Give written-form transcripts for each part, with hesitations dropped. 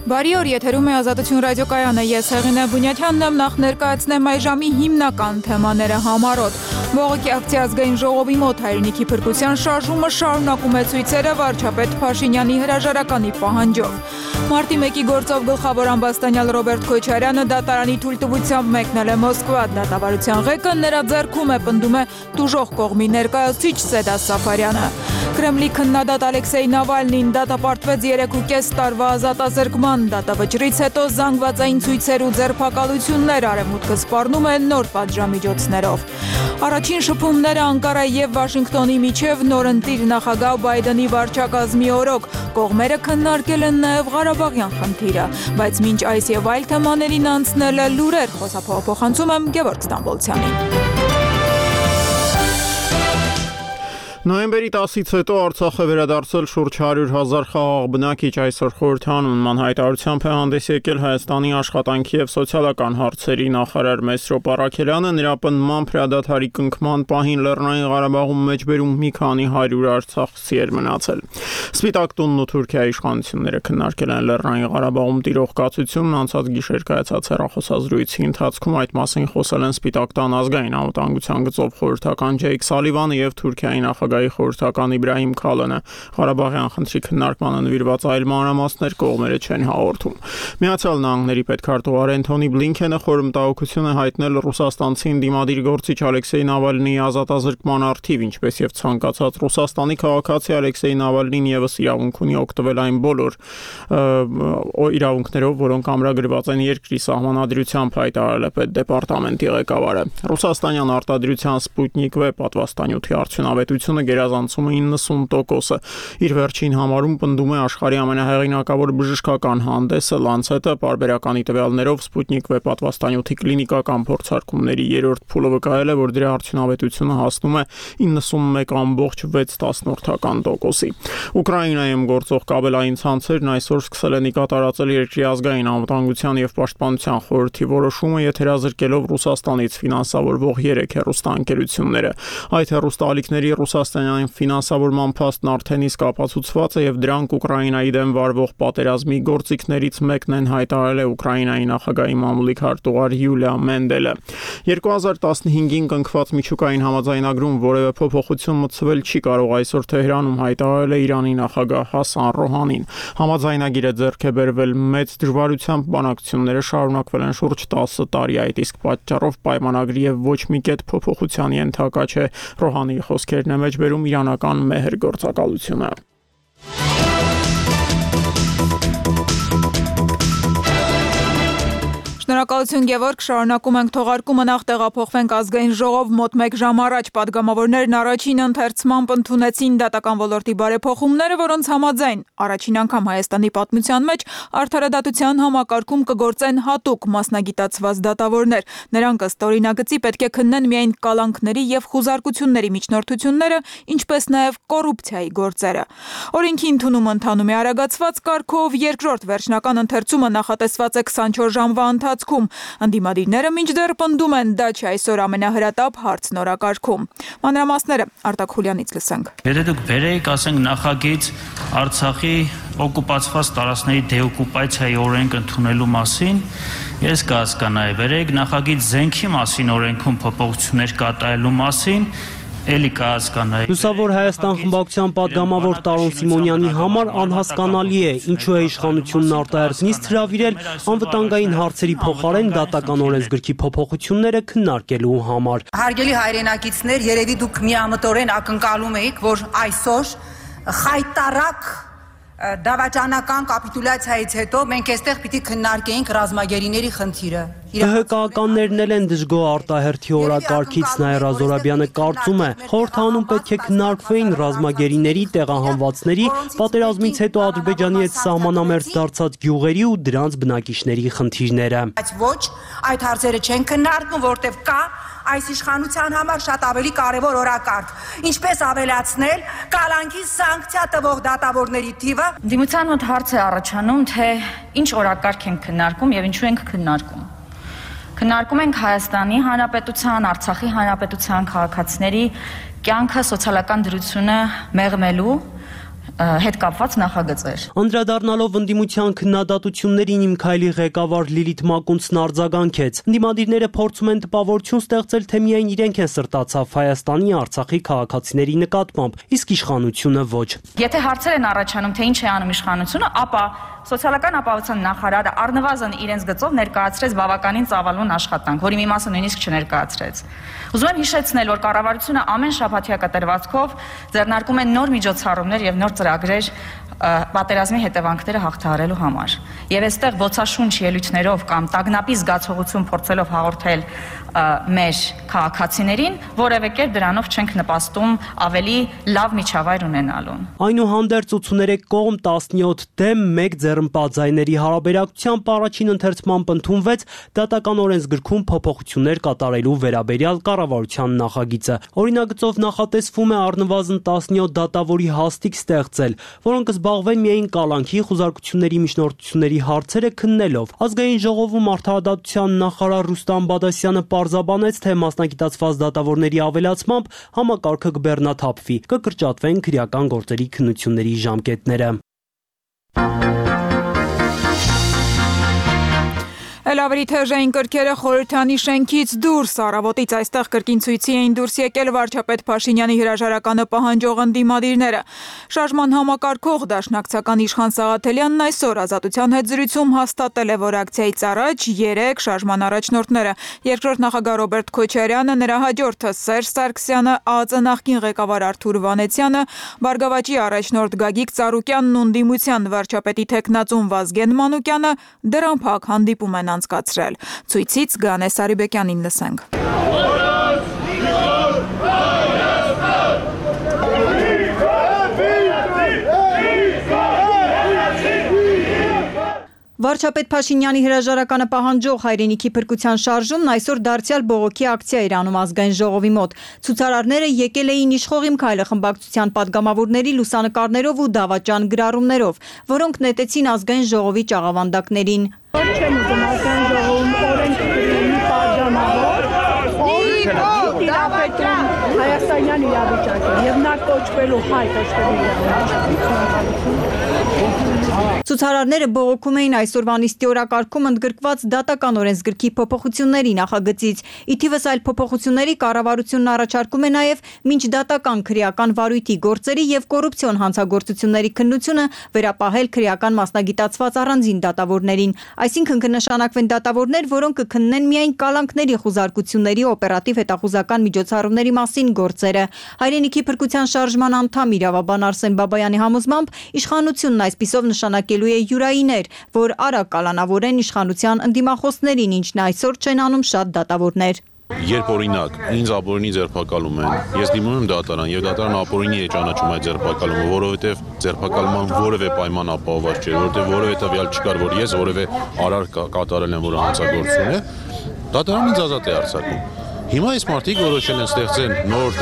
Բարի օր, եթերում է Ազատություն ռադիոկայանը, ես Հեղինե Բունյաթյանն եմ, նախ ներկայացնեմ այս ժամի հիմնական թեմաները համառոտ։ Բողոքի ակցիա ազգային ժողովի մոտ հայրենիքի փրկության շարժումը շարունակում է ցույցերը վարչապետ Փաշինյանի հրաժարականի պահանջով։ Մարտի 1-ի գործով գլխավոր ամբաստանյալ Ռոբերտ Քոչարյանը դատարանի թույլտվությամբ մեկնել է Մոսկվա, դատավարության ղեկը նրա ձեռքում է, պնդում է տուժող կողմի ներկայացուցիչ Սեդա Սաֆարյանը։ Կրեմլի քննադատ Ալեքսեյ Նավալնին դատապարտվեց 3.5 տարվա ազատազրկման, դատավճռից հետո զանգվածային ցույցեր ու ձերբակալություններ արևմուտքը սպառնում է նոր պատժամիջոցներով։ Առաջին շփումները Անկարայի եւ Վաշինգտոնի միջև նորընտիր նախագահ Բայդենի վարչակազմի օրոք, կողմերը քննարկել են նաեւ Ղարաբաղյան խնդիրը, բայց մինչ այս եւ այլ թեմաներին անցնել է լուրեր, խոսափոխանցում եմ Գևորգ Ստամբոլցյանին։ Նոյեմբերի 10-ից հետո Արցախ է վերադարձել շուրջ 100,000 խաղաղ բնակիչ, այսօր խորհրդանուն հայտարարությամբ է հանդես եկել Հայաստանի աշխատանքի եւ սոցիալական հարցերի նախարար Մեսրոպ Առաքելյանը, նրա պնդմամբ հրադադարի կնքման պահին Լեռնային Ղարաբաղում մեջբերում մի քանի 100 արցախցի էր մնացել։ Սպիտակ տունն ու Թուրքիայի իշխանությունները քննարկել են Լեռնային Ղարաբաղում տիրող կացությունն, անցած գիշեր կայացած հեռախոսազրույցի ընթացքում այդ մասին խոսել են Սպիտակ տան ազգային անվտանգության գծով խորհրդական Ջեյք Սալիվանը եւ Թուրքիայի նախագահ խորհրդական Իբրահիմ Քալանը, Ղարաբաղյան խնդրի քննարկմանը նվիրված այլ մանրամասներ կողմերը չեն հաղորդում։ Միացյալ Նահանգների պետքարտուղար Էնթոնի Բլինքենը խորհրդատվություն է հայտնել ռուսաստանցի ընդդիմադիր գործիչ Ալեքսեյ Նավալնիի ազատազրկման առթիվ, ինչպես եւ ցանկացած Ռուսաստանի քաղաքացի Ալեքսեյ Նավալնին եւս իրավունք ունի օգտվել այն բոլոր իրավունքներով, որոնք ամրագրված են երկրի սահմանադրությամբ, հայտարարել է պետդեպարտամենտի ղեկավարը։ Ռուսաստանյան արտադրության Սպուտնիկ V պատվաստանյութի արդյունավետությունը գերազանցում է 90%-ը։ Իր վերջին համարում պնդում է աշխարհի ամենահեղինակավոր բժշկական հանդեսը Lancet-ը, պարբերականի տվյալներով Սպուտնիկ V պատվաստանյութի կլինիկական փորձարկումների երրորդ փուլը վկայել է, որ դրա արդյունավետությունը հասնում է 91.6%-ի։ Ուկրաինայում գործող կաբելային ցանցերն այսօր սկսել են կատարածել երկրի ազգային անվտանգության եւ պաշտպանության խորհրդի որոշումը, եթերազրկելով Ռուսաստանից ֆինանսավորվող 3 հեռուստաընկերությունները։ Այդ հեռուստաալիքների ռուսաստանյան ֆինանսավորման փաստն արդեն իսկ ապացուցված է եւ դրանք Ուկրաինայի դեմ վարվող պատերազմի գործիքներից մեկն են, հայտարարել է Ուկրաինայի նախագահի մամուլի քարտուղար Յուլիա Մենդելը։ 2015-ին կնքված միջուկային համաձայնագրում որևէ փոփոխություն մտցվել չի կարող, այսօր Թեհրանում հայտարարել է Իրանի նախագահ Հասան Ռոհանին։ Համաձայնագիրը ձեռք է բերվել մեծ դժվարությամբ, բանակցությունները շարունակվել են շուրջ 10 տարի, այդ իսկ պատճառով պայմանագրի եւ ոչ մի կետ փոփոխության ենթակա չէ։ Ռոհանիի խոսքերն է մեջբերում իրանական մեհր գործակալությունը։ Շնորհակալություն Գևորգ, շարունակում ենք թողարկումը, նախ տեղափոխվենք ազգային ժողով մոտ 1 ժամ առաջ պատգամավորներն առաջին ընթերցմամբ ընդունեցին դատական ոլորտի բարեփոխումները, որոնց համաձայն առաջին անգամ Հայաստանի պատմության մեջ արդարադատության համակարգում կգործեն հատուկ մասնագիտացված դատավորներ։ Նրանք ըստ օրինագծի պետք է քննեն միայն կալանքների եւ խուզարկությունների միջնորդությունները, ինչպես նաեւ կոռուպցիայի գործերը։ Օրենքի ընդունումը ընթանում է արագացված կարգով, երկրորդ վերջնական ընթերցումը նախատեսված է 24 ժամվա Ընդդիմադիրները մինչդեռ պնդում են, դա չէ այսօր ամենահրատապ հարցն օրակարգում։ Մանրամասները Արտակ Խուլյանից լսենք։ Եթե դուք բերեիք, ասենք, նախագիծ Արցախի օկուպացված տարածքների դեօկուպացիայի օրենք ընդունելու մասին, ես կհասկանայի, բերեիք նախագիծ զենքի մասին օրենքում փոփոխություններ կատարելու մասին, էլի կհասկանայի։ Լուսավոր Հայաստան խմբակցության պատգամավոր Տարոն Սիմոնյանի համար անհասկանալի է, ինչու է իշխանությունն արտահերթ նիստ հրավիրել անվտանգային հարցերի փոխարեն դատական օրենսգրքի փոփոխությունները քննարկելու համար։ Հարգելի հայրենակիցներ, երևի դուք միամտորեն ակնկալում եք, որ այսօր խայտարակ դավաճանական կապիտուլյացիայից հետո մենք այստեղ պիտի քննարկեինք ռազմագերիների խնդիրը։ ՀՀԿ-ականներն էլ են դժգոհ արտահերթի օրակարգից, Նաիրա Զորաբյանը կարծում է, խորհրդանում պետք է քննարկվեին ռազմագերիների, տեղահանվածների, պատերազմից հետո Ադրբեջանի հետ սահմանամերձ դարձած գյուղերի ու դրանց բնակիչների խնդիրները։ Բայց ոչ, այդ հարցերը չեն քննարկվում, որտեղ կա այս իշխանության համար շատ ավելի կարևոր օրակարգ, ինչպես ավելացնել կալանքի սանկցիա տվող դատավորների թիվը։ Դիմության մոտ հարց է առաջանում, թե ինչ օրակարգ ենք քննարկում եւ ինչու ենք քննարկում։ Քննարկում ենք Հայաստանի Հանրապետության, Արցախի Հանրապետության քաղաքացիների կյանքը, սոցիալական դրությունը մեղմելու, հետ կապված նախագծեր։ Անդրադառնալով ընդդիմության քննադատություններին Իմ քայլի ղեկավար Լիլիթ Մակունցն արձագանքեց. ընդդիմադիրները փորձում են տպավորություն ստեղծել, թե միայն իրենք են սրտացավ Հայաստանի, Արցախի քաղաքացիների նկատմամբ, իսկ իշխանությունը ոչ։ Եթե հարցեր են առաջանում, թե ինչ է անում իշխանությունը, ապա Սոցիալական ապահովության նախարարը առնվազն իրենց գծով ներկայացրեց բավականին ծավալուն աշխատանք, որի մի մասը նույնիսկ չներկայացրեց։ Ուզում եմ հիշեցնել, որ կառավարությունը ամեն շաբաթյա կտրվածքով ձեռնարկում է նոր միջոցառումներ եւ նոր ծրագրեր պատերազմի հետևանքները հաղթահարելու համար։ Եվ այստեղ ոցաշունչ ելույթներով կամ տագնապի զգացողություն փորձելով հաղորդել մեր քաղաքացիներին, որևէ կերպ դրանով չենք նպաստում ավելի լավ միջավայր ունենալուն։ Այնուհանդերձ 83 կողմ 17 դեմ 1 ձեռնպատ ձայների հարաբերակցությամբ առաջին ընթերցմամբ ընդունվեց դատական օրենսգրքում փոփոխություններ կատարելու վերաբերյալ կառավարության նախագիծը։ Օրինագծով նախատեսվում է առնվազն 17 դատավորի հաստիք ստեղծել, որոնք զբաղվեն միայն կալանքի, խուզարկությունների, միջնորդությունների հարցերը քննելով։ Ազգային ժողովում արդարադատության նախարար Ռուստամ Բադասյանը պարզաբանեց, թե մասնագիտացված դատավորների ավելացմամբ համակարգը կբեռնաթափվի, կկրճատվեն քրեական գործերի քննությունների ժամկետները։ Էլ ավելի թեժային կրքերը խորհրդանի շենքից դուրս առավոտից այստեղ կրկին ցույցի էին դուրս եկել վարչապետ Փաշինյանի հրաժարականը պահանջող ընդդիմադիրները։ Շարժման համակարգող դաշնակցական Իշխան Սաղաթելյանն այսօր Ազատության հետ զրույցում հաստատել է, որ ակցիայից առաջ 3 շարժման առաջնորդները՝ երկրորդ նախագահ Ռոբերտ Քոչարյանը, նրա հաջորդը Սերժ Սարգսյանը, ԱԱԾ նախկին ղեկավար Արթուր Վանեցյանը, Բարգավաճի առաջնորդ Գագիկ Ծառուկյանն ու ընդդիմության վարչապետի թեկնածուն Վազգեն Մանուկյանը դրան փակ հանդիպում են անցկացրել։ Ցույցից Գանե Սարիբեկյանին լսենք։ Վարչապետ Փաշինյանի հրաժարականը պահանջող հայրենիքի փրկության շարժումն այսօր դարձյալ բողոքի ակցիա էր անում ազգային ժողովի մոտ։ Ցուցարարները եկել էին Իշխող իմ քայլը խմբակցության падգամավորների լուսանկարներով ու դավաճան գրառումներով, որոնք նետեցին ազգային ժողովի ճաղավանդակներին։ Չեմ ուզում ազգային ժողովում օրենք գրի падգամավոր, Հայաստանյան իրավիճակը եւ նա կոչվելու հայ Ցուցարարները բողոքում էին այսօրվա նիստի օրակարգում ընդգրկված դատական օրենսգրքի փոփոխությունների նախագծից։ Ի թիվս այլ փոփոխությունների կառավարությունն առաջարկում է նաև մինչդատական քրեական վարույթի գործերի եւ կոռուպցիոն հանցագործությունների քննությունը վերապահել քրեական մասնագիտացված առանձին դատավորներին։ Այսինքն կնշանակվեն դատավորներ, որոնք կքննեն միայն կալանքների խուզարկությունների օպերատիվ հետախուզական միջոցառումների մասին գործերը։ Հայրենիքի փրկության շարժման անդամ իրավաբան Արսեն Բաբայանի համոզմամբ իշխանությունն այսպիսով նշանակելու է յուրայիներ, որ արագ կալանավորեն իշխանության ընդդիմախոսներին, ինչն այսօր չեն անում շատ դատավորներ։ Երբ օրինակ ինձ ապօրինի ձերբակալում են, ես դիմում եմ դատարան եւ դատարանը ապօրինի է ճանաչում այդ ձերբակալումը, որովհետեւ ձերբակալման որևէ պայման ապահովված չէ, որովհետեւ որևէ տվյալ չկար, որ ես որևէ արար կատարել եմ, որը հանցագործություն է, դատարանն ինձ ազատ է արձակում։ Հիմա այս մարդիկ որոշել են ստեղծեն նոր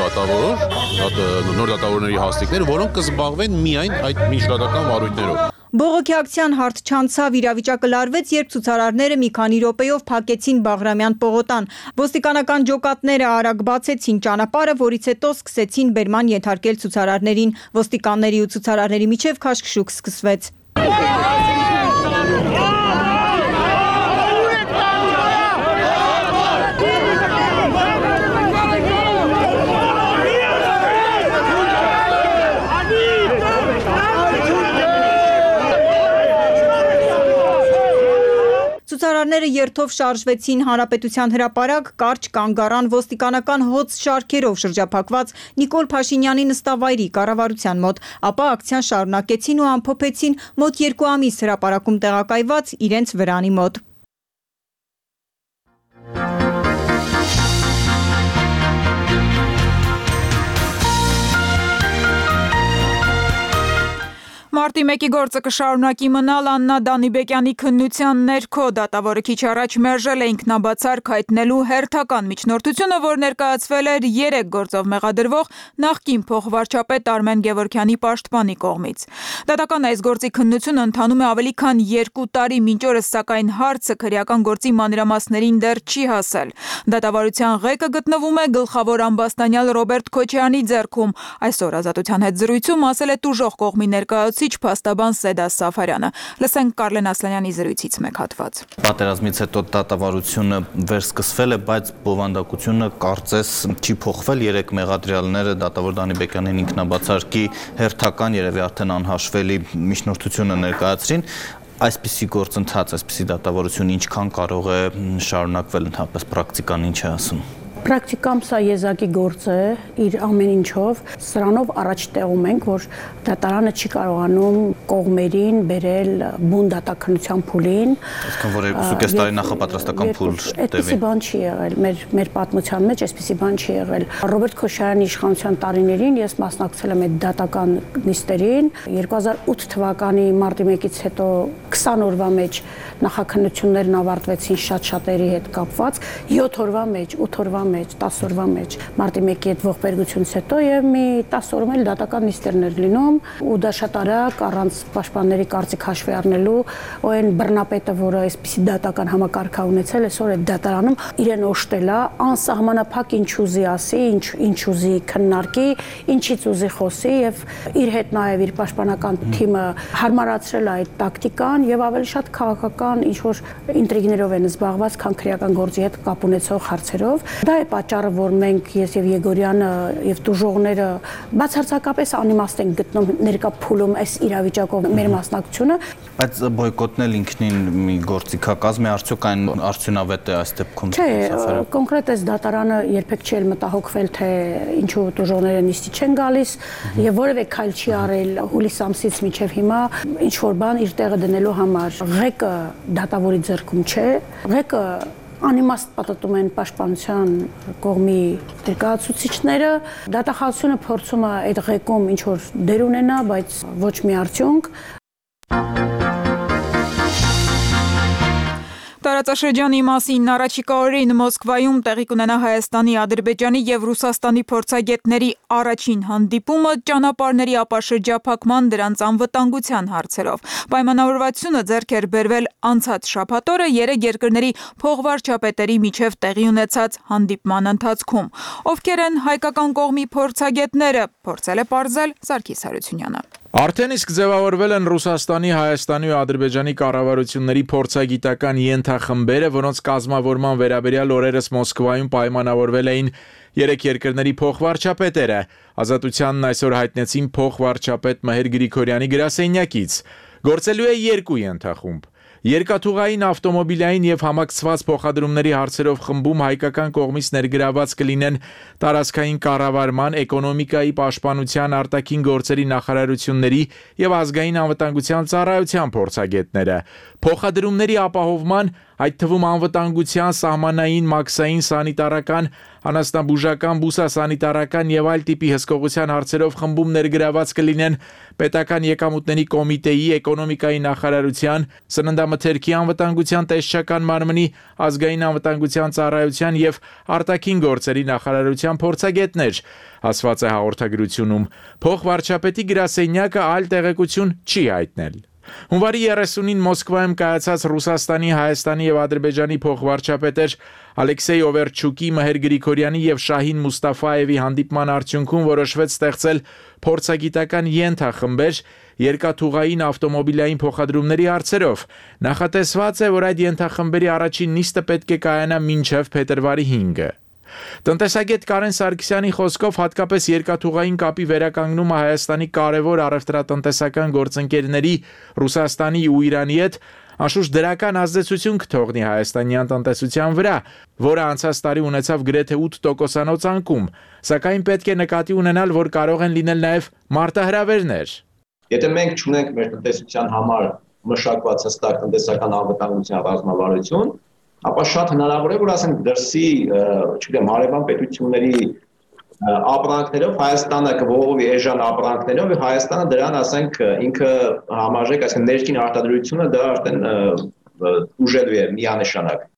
դատավորների հաստիկներ, որոնք կզբաղվեն միայն այդ միջդատական վարույթներով։ Բողոքի ակցիան հարթ չանցավ, իրավիճակը լարվեց, երբ ցուցարարները մի քանի րոպեով փակեցին Բաղրամյան պողոտան։ Ոստիկանական ջոկատները արագ բացեցին ճանապարհը, որից հետո սկսեցին բերման ենթարկել ցուցարարներին։ Ոստիկանների ու ցուցարարների միջև քաշքշուկ սկսվեց։ Ցուցարարները երթով շարժվեցին Հանրապետության հրապարակ, կարճ կանգ առան ոստիկանական հոծ շարքերով շրջափակված Նիկոլ Փաշինյանի նստավայրի կառավարության մոտ, ապա ակցիան շարունակեցին ու ամփոփեցին մոտ 2 ամիս հրապարակում տեղակայված իրենց վրանի մոտ։ Մարտի 1-ի գործը կշարունակի մնալ Աննա Դանիբեկյանի քննության ներքո դատավորը քիչ առաջ մերժել է ինքնաբացարկ հայտնելու հերթական միջնորդությունը, որ ներկայացվել էր 3 գործով մեղադրվող նախկին փոխվարչապետ Արմեն Գևորգյանի պաշտպանի կողմից։ Դատական այս գործի քննությունը ընթանում է ավելի քան 2 տարի, մինչ օրս սակայն հարցը քրեական գործի մանրամասներին դեռ չի հասել։ Դատավարության ղեկը գտնվում է գլխավոր ամբաստանյալ Ռոբերտ Քոչարյանի ձեռքում։ Այսօր Ազատության հետ զրույցում ասել է տուժող կողմի ներկայացուցիչ փաստաբան Սեդա Սաֆարյանը։ Լսենք Կարլեն Ասլանյանի զրույցից մեկ հատված։ Պատերազմից հետո դատավարությունը վերսկսվել է, բայց բովանդակությունը կարծես չի փոխվել։ 3 մեղադրյալները դատավոր Դանիբեկյանին ինքնաբացարկի հերթական, երևի արդեն անհաշվելի միջնորդությունը ներկայացրին։ Այսպիսի գործընթաց, այսպիսի դատավարություն ինչքան կարող է շարունակվել ընդհանրապես պրակտիկան ինչ է ասում։ Պրակտիկամ սա եզակի գործ է իր ամեն ինչով, սրանով առաջ տեղում ենք, որ դատարանը չի կարողանում կողմերին բերել բուն դատաքննության փուլին։ Այսինքն որ 2.5 տարի նախապատրաստական փուլ այդպիսի բան չի եղել, մեր պատմության մեջ այսպիսի բան չի եղել։ Ռոբերտ Քոչարյանի իշխանության տարիներին ես մասնակցել եմ այդ դատական նիստերին, 2008 թվականի մարտի 1-ից հետո 20 օրվա մեջ նախաքննություններն ավարտվեցին շատ-շատերի հետ կապված, 7 օրվա մեջ, 8 օրվա մեջ, 10 օրվա մեջ մարտի 1-ի հետ ողբերգությունից հետո եւ մի 10 օրում էլ դատական նիստերներ լինում ու դա շատ արագ առանց պաշտպանների կարծիք հաշվի առնելու ու այն բռնապետը, որը այսպիսի դատական համակարգ է ունեցել, այսօր այդ դատարանում իրեն օժտել է անսահմանափակ ինչ ուզի ասի, ինչ ուզի քննարկի, ինչից ուզի խոսի եւ իր հետ նաեւ իր պաշտպանական թիմը հարմարացրել է այդ տակտիկան եւ ավելի շատ քաղաքական ինչ որ ինտրիգներով են զբաղված, քան քրեական գործի հետ կապ ունեցող հարցերով։ Դա է պատճառը, որ մենք ես եւ Եգորյանը եւ տուժողները բացարձակապես անիմաստ են գտնում ներկա փուլում այս իրավիճակով մեր մասնակցությունը, բայց բոյկոտնել ինքնին մի գործիքակազմ է, արդյոք այն արդյունավետ է այս դեպքում։ Չէ, կոնկրետ այս դատարանը երբեք չի մտահոգվել, թե ինչու տուժողները նիստի չեն գալիս եւ որևէ քայլ չի արել հուլիս ամսից մինչեւ հիմա ինչ որ բան իր տեղը դնելու համար։ Ղեկը դատավորի ձեռքում չէ, ղեկը անիմաստ պատտում են պաշտպանության կողմի ներկայացուցիչները, դատախազությունը փորձում է այդ ղեկում ինչ որ դեր ունենա, բայց ոչ մի արդյունք։ Տարածաշրջանի մասին առաջիկա օրերին Մոսկվայում տեղի կունենա Հայաստանի, Ադրբեջանի եւ Ռուսաստանի փորձագետների առաջին հանդիպումը ճանապարհների ապաշրջափակման դրանց անվտանգության հարցերով։ Պայմանավորվածությունը ձեռք էր բերվել անցած շաբաթ օրը 3 երկրների փոխվարչապետերի միջև տեղի ունեցած հանդիպման ընթացքում։ Ովքեր են հայկական կողմի փորձագետները, փորձել է պարզել Սարգիս Հարությունյանը։ Արդեն իսկ ձևավորվել են Ռուսաստանի, Հայաստանի ու Ադրբեջանի կառավարությունների փորձագիտական ենթախմբերը, որոնց կազմավորման վերաբերյալ օրերս Մոսկվայում պայմանավորվել էին 3 երկրների փոխվարչապետերը։ Ազատությանն այսօր հայտնեցին փոխվարչապետ Մհեր Գրիգորյանի գրասենյակից։ Գործելու է 2 ենթախումբ։ Երկաթուղային, ավտոմոբիլային եւ համակցված փոխադրումների հարցերով խմբում հայկական կողմից ներգրաված կլինեն տարածքային կառավարման, էկոնոմիկայի, պաշտպանության, արտաքին գործերի նախարարությունների եւ ազգային անվտանգության ծառայության փորձագետները։ Փոխադրումների ապահովման, այդ թվում անվտանգության, սահմանային, մաքսային, սանիտարական, անասնաբուժական, բուսասանիտարական եւ այլ տիպի հսկողության հարցերով խմբում ներգրաված կլինեն պետական եկամուտների կոմիտեի, էկոնոմիկայի նախարարության, սննդամթերքի անվտանգության տեսչական մարմնի, ազգային անվտանգության ծառայության եւ արտաքին գործերի նախարարության փորձագետներ, ասված է հաղորդագրությունում։ Փոխվարչապետի գրասենյակը այլ տեղեկություն չի հայտնել։ Հունվարի 30-ին Մոսկվայում կայացած Ռուսաստանի, Հայաստանի եւ Ադրբեջանի փոխվարչապետեր Ալեքսեյ Օվերչուկի, Մհեր Գրիգորյանի եւ Շահին Մուստաֆաևի հանդիպման արդյունքում որոշվեց ստեղծել փորձագիտական ենթախմբեր երկաթուղային, ավտոմոբիլային փոխադրումների հարցերով։ Նախատեսված է, որ այդ ենթախմբերի առաջին նիստը պետք է կայանա մինչև փետրվարի 5-ը։ Տնտեսագետ Կարեն Սարգսյանի խոսքով հատկապես երկաթուղային կապի վերականգնումը Հայաստանի կարևոր առևտրատնտեսական գործընկերների Ռուսաստանի ու Իրանի հետ անշուշտ դրական ազդեցություն կթողնի հայաստանյան տնտեսության վրա, որը անցած տարի ունեցավ գրեթե 8%-անոց անկում, սակայն պետք է նկատի ունենալ, որ կարող են լինել նաև մարտահրավերներ։ Եթե մենք չունենք մեր տնտեսության համար մշակված հստակ տնտեսական անվտանգության ռազմավարություն, ապա շատ հնարավոր է, որ ասենք դրսի, չգիտեմ, հարևան պետությունների ապրանքներով Հայաստանը կողովի էժան ապրանքներով եւ Հայաստանը դրան ասենք ինքը համարժեք, այսինքն ներքին արտադրությունը դա արդեն ուժելու է միանշանակ։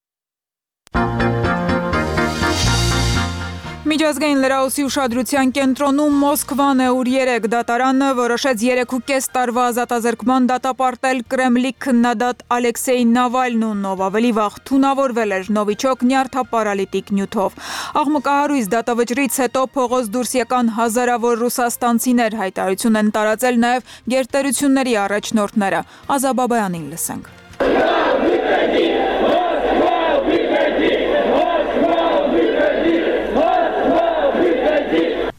Միջազգային լրահոսի ուշադրության կենտրոնում Մոսկվան է, ուր 3 դատարանը որոշեց 3.5 տարվա ազատազրկման դատապարտել Կրեմլի քննադատ Ալեքսեյ Նավալնուն, ով ավելի վաղ թունավորվել էր նովիչոկ նյարդապարալիտիկ նյութով։ Աղմկահարույց դատավճռից հետո փողոց դուրս եկան հազարավոր ռուսաստանցիներ, հայտարարություն են տարածել նաև գերտերությունների առաջնորդները։ Ազաբաբայանին լսենք։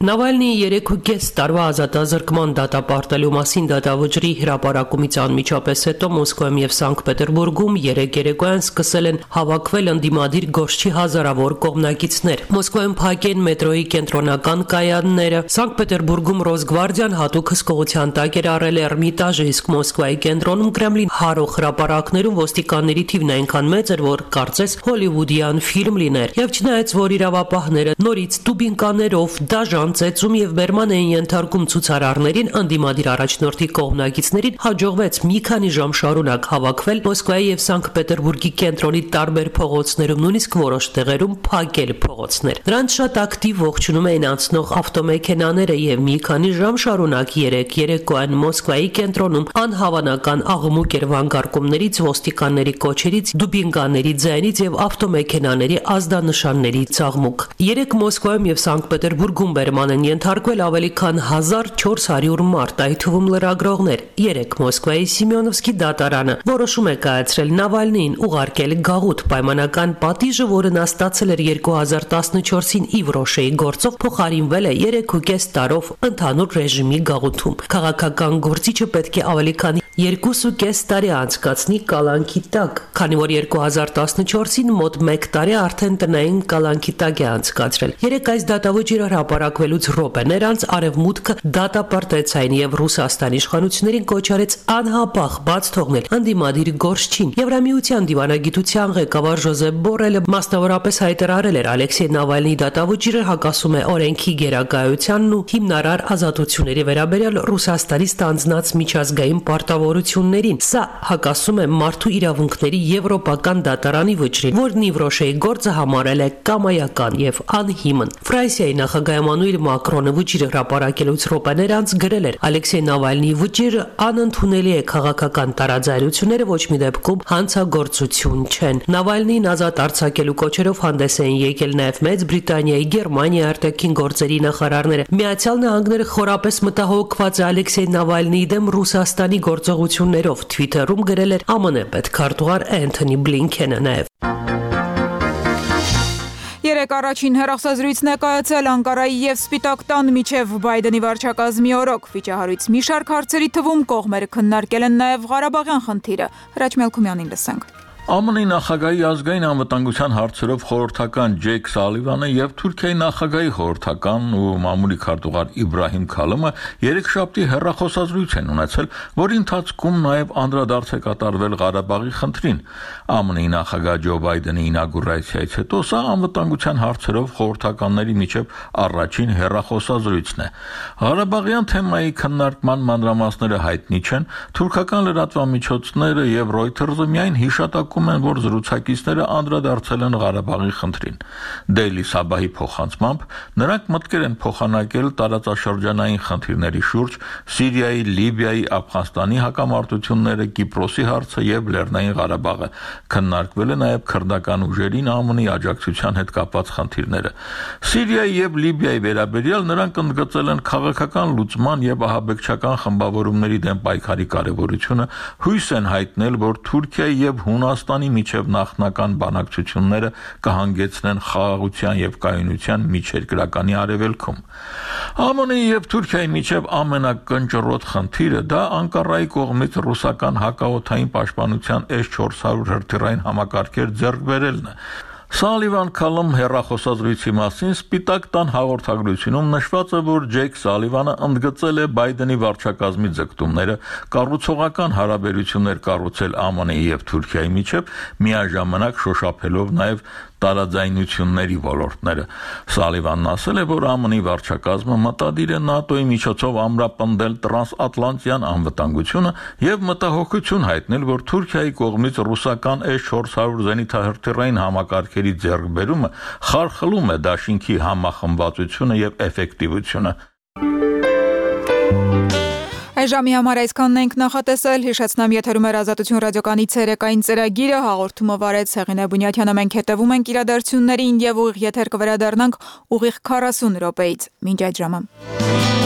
Նավալնիի 3.5 տարվա ազատազրկման դատապարտելու մասին դատավճռի հրապարակումից անմիջապես հետո Մոսկվայում եւ Սանկտ Պետերբուրգում երեկոյան սկսել են հավաքվել ընդդիմադիր գորշչի հազարավոր կողմնակիցներ։ Մոսկվայում փակեն մետրոյի կենտրոնական կայանները, Սանկտ Պետերբուրգում Ռոսգվարդիան հատուկ հսկողության տակ էր առել Էրմիտաժը, իսկ Մոսկվայի կենտրոնում Կրեմլին հարող հրապարակներում ոստիկանների թիվն այնքան մեծ էր, որ կարծես հոլիվուդյան ֆիլմ լիներ։ Եվ չնայած որ իրավապահները նորից տուբինկաներով դաժան ծեծում եւ բերման էին ենթարկում ցուցարարներին, ընդդիմադիր առաջնորդի կողմնակիցներին հաջողվեց մի քանի ժամ շարունակ հավաքվել Մոսկվայի եւ Սանկտ Պետերբուրգի կենտրոնի տարբեր փողոցներում, նույնիսկ որոշ տեղերում փակել փողոցներ։ Դրանց շատ ակտիվ ողջունում էին անցնող ավտոմեքենաները եւ մի քանի ժամ շարունակ երեկոյան Մոսկվայի կենտրոնում անհավանական աղմուկ էր վանկարկումներից, ոստիկանների կոչերից, դուբինկաների ձայնից եւ ավտոմեքենաների ազդանշանների աղմուկ։ Երեք Մոսկվայում եւ Սանկտ Պետերբուրգում են ենթարկվել ավելի քան 1400 մարդ, այդ թվում լրագրողներ։ 3 Մոսկվայի Սիմեոնովսկի դատարանը որոշում է կայացրել Նավալնիին ուղարկել գաղութ, պայմանական պատիժը, որը նա ստացել էր 2014-ին Իվրոշեի գործով, փոխարինվել է 3.5 տարով ընդհանուր ռեժիմի գաղութում։ Քաղաքական գործիչը պետք է ավելի քան 2.5 տարի անցկացնի կալանքի տակ, քանի որ 2014-ին մոտ 1 տարի արդեն տնային կալանքի տակ է անցկացրել։ Երեք այս դատավճիռը հրապարակվելուց րոպեներ անց Արևմուտքը դատապարտեց այն եւ Ռուսաստանի իշխանություններին կոչ արեց անհապաղ բաց թողնել ընդդիմադիր գորշչին։ Եվրամիության դիվանագիտության ղեկավար Ժոզեփ Բորելը մասնավորապես հայտարարել էր Ալեքսեյ Նավալնիի դատավճիռը հակասում է օրենքի գերակայությանն ու հիմնարար ազատությունների վերաբերյալ Ռուսաստանի ստանձնած միջազգային պարտավորություններին։ Սա հակասում է մարդու իրավունքների եվրոպական դատարանի վճռին, որն Իվրոշեի գործը համարել է կամայական եւ անհիմն։ Ֆրանսիայի նախագահ Էմանուել Մակրոնը վճիռը հրապարակելուց րոպեներ անց գրել էր. Ալեքսեյ Նավալնիի վճիռը անընդունելի է, քաղաքական տարաձայնությունները ոչ մի դեպքում հանցագործություն չեն։ Նավալնիին ազատ արձակելու կոչերով հանդես էին եկել նաև Մեծ Բրիտանիայի, Գերմանիայի արտաքին գործերի նախարարները։ Միացյալ Նահանգները խորապես մտահոգված է Ալեքսեյ Նավալնիի դեմ Ռուսաստանի գործողություններով, Twitter-ում գրել էր ԱՄՆ պետքարտուղար Էնթոնի Բլինքենը նաև։ Երեք առաջին հեռախոսազրույցն է կայացել Անկարայի եւ Սպիտակ տան միջև Բայդենի վարչակազմի օրոք։ Վիճահարույց մի շարք հարցերի թվում կողմերը քննարկել են նաեւ Ղարաբաղյան խնդիրը։ Հրաչ Մելքումյանին լսենք։ ԱՄՆ-ի նախագահի ազգային անվտանգության հարցերով խորհրդական Ջեյք Սալիվանը եւ Թուրքիայի նախագահի խորհրդական ու մամուլի քարտուղար Իբրահիմ Քալըմը երեքշաբթի հեռախոսազրույց են ունեցել, որի ընթացքում նաեւ անդրադարձ է կատարվել Ղարաբաղի խնդրին։ ԱՄՆ-ի նախագահ Ջո Բայդենի ինագուրացիայից հետո սա անվտանգության հարցերով խորհրդականների միջև առաջին հեռախոսազրույցն է։ Ղարաբաղյան թեմայի քննարկման մանրամասները հայտնի չեն, թուրքական լրատվամիջոցները եւ Reuters-ը միայն հիշատակում են, որ զրուցակիցները անդրադարձել են Ղարաբաղի խնդրին։ Daily Sabah-ի փոխանցմամբ նրանք մտքեր են փոխանակել տարածաշրջանային խնդիրների շուրջ, Սիրիայի, Լիբիայի, Աֆղանստանի հակամարտությունները, Կիպրոսի հարցը եւ Լեռնային Ղարաբաղը։ Քննարկվել է նաեւ քրդական ուժերին ԱՄՆ-ի աջակցության հետ կապված խնդիրները։ Սիրիայի եւ Լիբիայի վերաբերյալ նրանք ընդգծել են քաղաքական լուծման եւ ահաբեկչական խմբավորումների դեմ պայքարի կարեւորությունը, հույս են հայտնել, որ Թուրքիայի եւ Հունաստանի միջև նախնական բանակցությունները կհանգեցնեն խաղաղության եւ կայունության միջերկրականի արևելքում։ ԱՄՆ-ի եւ Թուրքիայի միջև ամենակնճռոտ խնդիրը դա Անկարայի կողմից ռուսական հակաօդային պաշտպանության S-400 հրթիռային համակարգեր ձեռք բերելն է։ Սալիվան Քալըմ հեռախոսազրույցի մասին Սպիտակ տան հաղորդագրությունում նշված է, որ Ջեյք Սալիվանը ընդգծել է Բայդենի վարչակազմի ձգտումները կառուցողական հարաբերություններ կառուցել ԱՄՆ-ի եւ Թուրքիայի միջև, միաժամանակ շոշափելով նաեւ տարաձայնությունների ոլորտները։ Սալիվանն ասել է, որ ԱՄՆ-ի վարչակազմը մտադիր է ՆԱՏՕ-ի միջոցով ամրապնդել տրանսատլանտյան անվտանգությունը եւ մտահոգություն հայտնել, որ Թուրքիայի կողմից ռուսական S-400 զենիթահրթիռային համակարգերի ձեռքբերումը խարխլում է դաշինքի համախմբվածությունը եւ էֆեկտիվությունը։ Այժմի համար այսքանն ենք նախատեսել, հիշեցնեմ եթերում էր Ազատություն ռադիոկայանի ցերեկային ծրագիրը, հաղորդումը վարեց Հեղինե Բունյաթյանը, մենք հետևում ենք իրադարձություններին եւ ուղիղ եթեր կվերադառնանք ուղիղ 40 րոպեից։ Մինչ այդ ժամը։